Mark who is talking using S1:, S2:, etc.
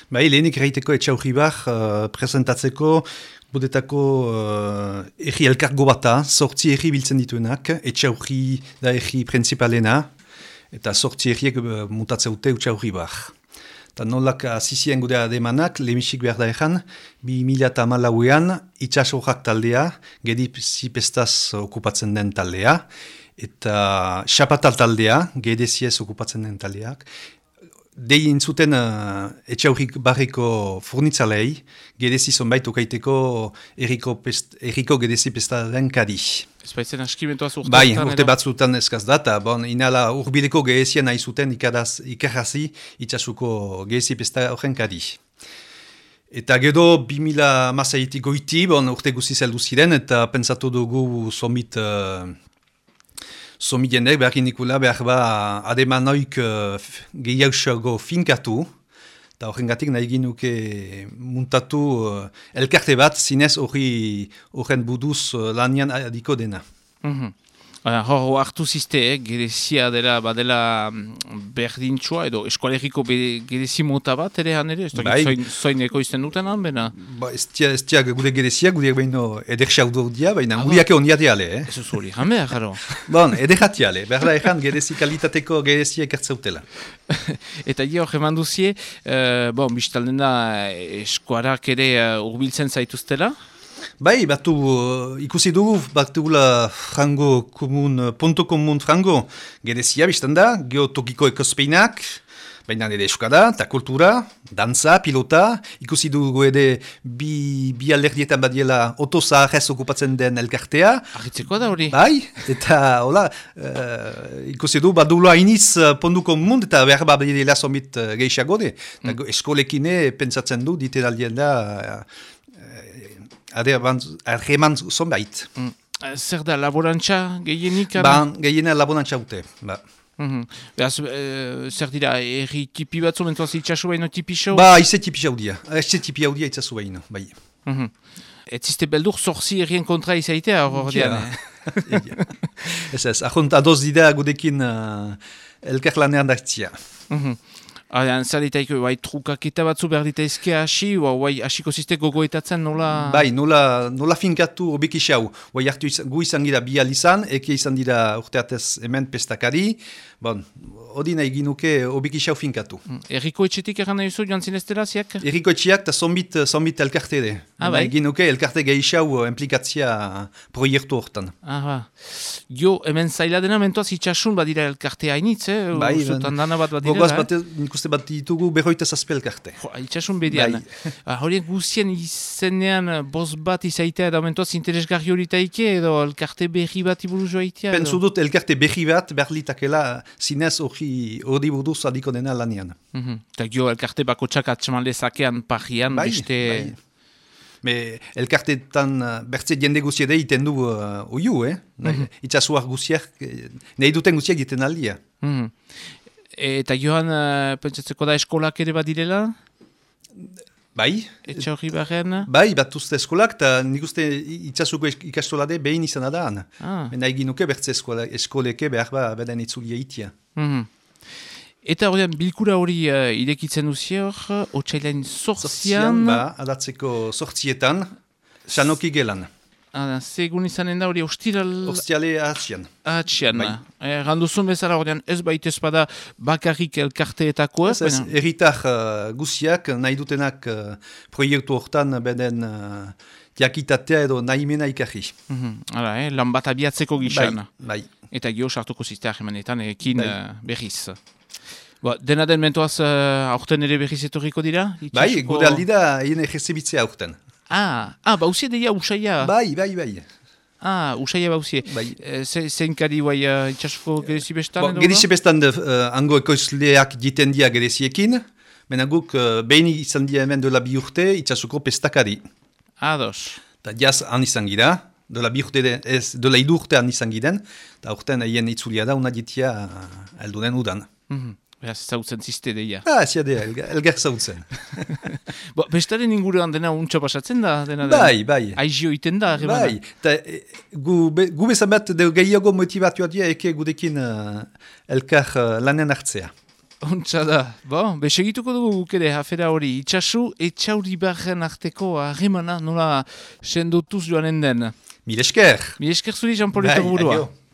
S1: Bai, lehenik erraiteko Etxaurribar presentatzeko gudetako erri elkargo bata, 8 erri biltzen dituenak, Etxaurri da erri principalena, eta 8 erriek mutatzeute Etxaurribar. Eta nolak azizien gudea ademanak, lehemisik behar da egan, 2008an itxasorrak taldea, gedizipestaz okupatzen den taldea, eta xapatal taldea, gedeziez okupatzen den taldeak, dein zuten Etxaurrik barriko furnitzalei, gedezi zonbait okaiteko erriko gedezi pestaren kadi.
S2: Ez baitzen askimentoaz urte
S1: Bai, urte batzutan eskaz data, inala urbileko gedezien nahi zuten ikarrazi itxasuko gedezi pesta horren kadi. Eta gero 2000 goiti, urte guziz heldu ziren, eta pentsatu dugu Somi jendek behar inikula behar ademanoik gehiagoago finkatu, eta horrengatik nahi ginuke muntatu elkarte bat zinez horren buduz lanian adiko dena.
S2: Hor hartu ziste, gerezia dela badela berdintxoa edo eskualeriko gerezi mota bat ere han ere? Zoineko izten duten han, bena?
S1: Ez tia gure gerezia, gure baino ederxaudu dia, baina guriake oniateale.
S2: Ez uz hori, han behar, jaro?
S1: Ederjatiale, behar da egan gerezi kalitateko gerezia ekartzautela.
S2: Eta hor eman duzie, biztalden da eskuarak ere urbiltzen zaituztela?
S1: Bai, ikusi dugu, batugula punto komun frango, gerezia biztan da, geotokiko ekospeinak, baina ere eskada, eta kultura, dantza, pilota, ikusi dugu ere bi alderdietan badiela otozaharrez okupatzen den elkartea.
S2: Argitzeko da hori?
S1: Bai, eta hola, ikusi dugu, badugula hainiz pondu komun, eta behar badiela somit gehiago de. Eskolekine pentsatzen du, diten aldien da, arreman zonbait.
S2: Zer da, laborantza gehienik?
S1: Gehiena laborantza ute.
S2: Zer dira, erri tipi batzu mentuaz itxasu baino tipisau?
S1: Ize tipi haudia. Ize tipi haudia itxasu baino, bai.
S2: Ez ziste beldur zorzi errien kontra izaitea hor dian?
S1: Ez, ahont adoz dira gudekin elkarlanean dartzia.
S2: Zer ditaiko, trukaketa batzu behar ditaizke hasi, hasiko ziste gogoetatzen nola?
S1: Bai, nola finkatu obik isau. Hartu gu izan gira bial izan, eke izan dira urteatez hemen pestakari, hori nahi ginuke obik isau finkatu.
S2: Erriko etxetik eran nahi zu joan zineztela ziak?
S1: Erriko etxeak eta zombit elkarte de. Nahi ginuke elkarte gehiago implikatzia proiektu hortan.
S2: Jo, hemen zaila dena mentoaz itxasun badira elkarte hainitz,
S1: Bai,
S2: gogoaz
S1: ikuste bat ditugu berroita zazpe elkarte.
S2: Itxasun bedian. Horien guztien izenean boz bat izaitea edo mentoaz interesgarri horitaike edo elkarte berri bat iburu joaitea?
S1: Pentsu dut elkarte berri bat berlitakela zinez hori buruz adiko dena lanian.
S2: Eta gio elkarte bako txak atxeman lezakean parrian beste...
S1: Elkartetan bertze jende guziede iten du oiu, itxasuak guziak, nahi duten guziak iten aldia.
S2: Eta joan, pentsatzeko da eskolak ere badirela?
S1: Bai.
S2: Etxaurri barren?
S1: Bai, bat uste eskolak, eta nik uste itxasuko ikastolade behin izan adaan. Nahi ginuke bertze eskoleke behar beden itzulia itia.
S2: Eta horrean, bilkura hori irekitzen duzi hor, otsailain sortzian...
S1: Adatzeko sortzietan, sanoki gelan.
S2: Segun izanen da hori ostiral...
S1: Ostiale ahatxian.
S2: Ahatxian. Randuzun bezala horrean, ez baita espada bakarrik elkarteetakoa?
S1: Ez, erritar guziak nahi dutenak proiektu hortan beden diakitatea edo nahimena ikarri.
S2: Lan bat abiatzeko gizan.
S1: Bai.
S2: Eta gio sartuko zizteak emanetan, ekin berriz. Dena den mentoaz aurten ere berriz etorriko dira?
S1: Bai, gode aldi da egin ejerzibitzea aurten.
S2: Bauzie deia usaia?
S1: Bai.
S2: Usaia bauzie. Zein kari itxasuko gerezi bestan?
S1: Gerezi bestan hango ekoizleak jiten dia gereziekin, mena guk behin izan dia hemen dola 2 urte itxasuko pestakari.
S2: Ados.
S1: Eta jaz han izan gira, dola 2 urte han izan giren, eta aurten egin itzulia da, una ditia alduden udan.
S2: Beraz, zautzen ziste deia.
S1: Ziade, elgar zautzen.
S2: Bestaren inguruan dena untxo pasatzen da?
S1: Bai.
S2: Aizio iten da?
S1: Bai. Gu bezan bat gehiago motivatua dia eke gudekin elkar lanen hartzea.
S2: Ontsa da. Bon, segituko dugu gukere afera hori. Itxasu, Etxauribarren arteko harremana nola sendotuz joanen den.
S1: Mil esker.
S2: Mil esker zuri, Jean-Paul Etoburua.